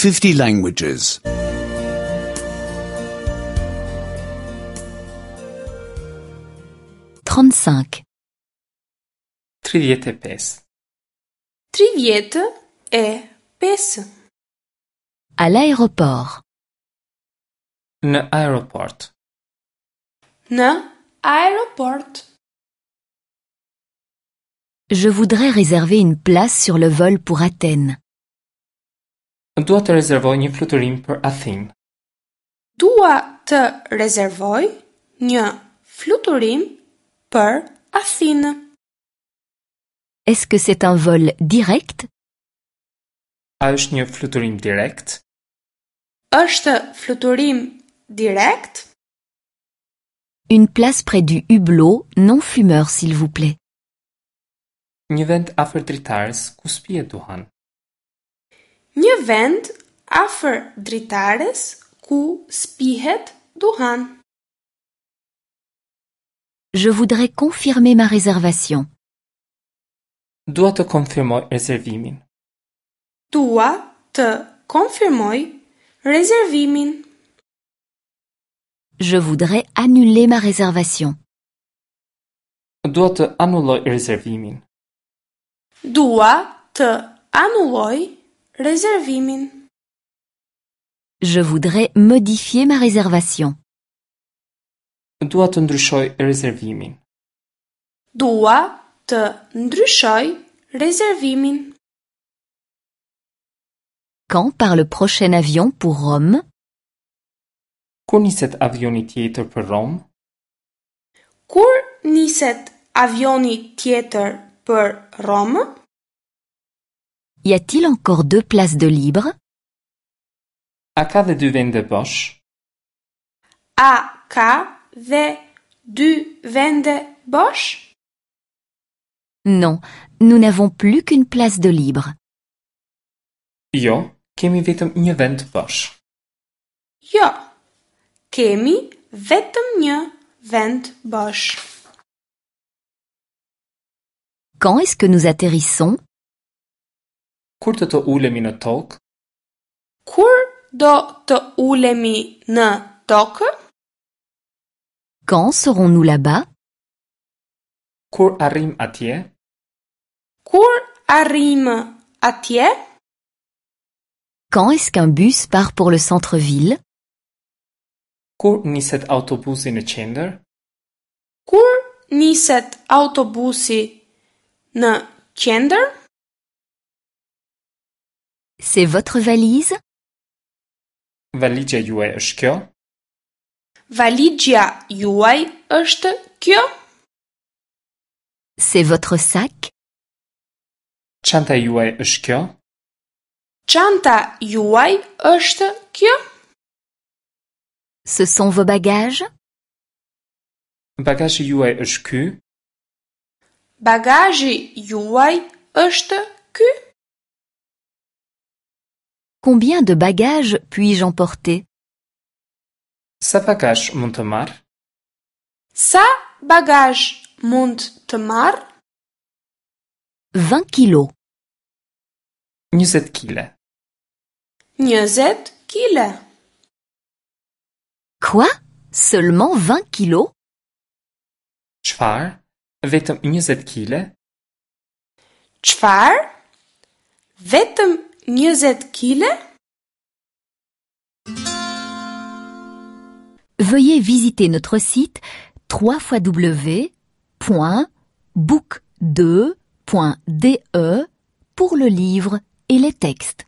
50 languages. 35. 35. 35. À l'aéroport. Në aeroport. Në aeroport. Je voudrais réserver une place sur le vol pour Athènes. Dua të rezervoj një fluturim për Athinë. Dua të rezervoj një fluturim për Athinë. Est-ce que c'est un vol direct A është një fluturim direkt? Është fluturim direkt? Une place près du hublot non fumeur s'il vous plaît. Një vend afër dritares ku s'pihet duhan. Një vend afër dritares ku s'pihet duhan. Je voudrais confirmer ma réservation. Dua të konfirmoj rezervimin. Dua të konfirmoj rezervimin. Je voudrais annuler ma réservation. Dua të anulloj rezervimin. Dua të anulloj rezervimin. Je voudrais modifier ma réservation. Dua të ndryshoj rezervimin. Dua të ndryshoj rezervimin. Quand part le prochain avion pour Rome Kur niset avioni tjetër për Romë? Kur niset avioni tjetër për Romë? Y a-t-il encore deux places de libre A ka dhe dy vende bosh? A ka dhe dy vende bosh? Non, nous n'avons plus qu'une place de libre. Jo, kemi vetëm një vend bosh. Jo, kemi vetëm një vend bosh. Quand est-ce que nous atterrissons Kur do të ulemi në tokë? Kur do të ulemi në tokë? Quand serons-nous là-bas Kur arrim atje? Kur arrim atje? Quand est-ce qu'un bus part pour le centre-ville Kur niset autobusi në qendër? Kur niset autobusi në qendër? C'est votre valise Valixha juaj është kjo? Valixha juaj është kjo? C'est votre sac Çanta juaj është kjo? Çanta juaj është kjo? Ce sont vos bagages Bagazhi juaj është ky? Bagazhi juaj është ky? Combien de bagages puis-je emporter Sa bagazh mund të marr? Sa bagazh mund të marr? 20 kilos. 20 kile. 20 kile. Quoi Seulement 20 kilos Çfarë? Vetëm 20 kile? Çfarë? Vetëm 20 kile? Veuillez visiter notre site www.book2.de pour le livre et les textes.